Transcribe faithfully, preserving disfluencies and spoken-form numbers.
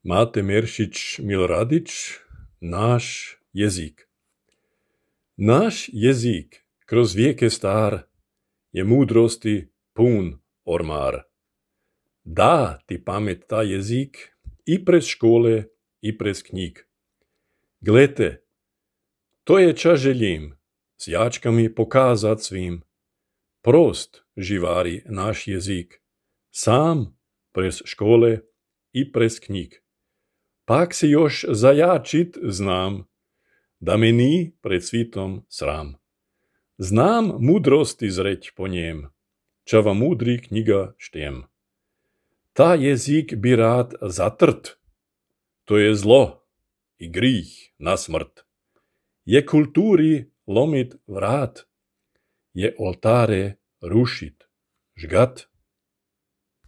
Mate Meršić Miloradić, naš jezik. Naš jezik kroz vijeke star je mudrosti pun ormar. Da ti pamet ta jezik i prez škole i prez knjig. Glete, to je ča želim s jačkami pokazat svim. Prost živari naš jezik, sam prez škole i prez knjig. Pak se još zajačit znam, da me ni pred svitom sram. Znam mudrosti zreć po njem, ča va mudri knjiga štem. Ta jezik bi rad zatrt, to je zlo i grih na smrt. Je kulturi lomit vrat, je oltare rušit, žgat.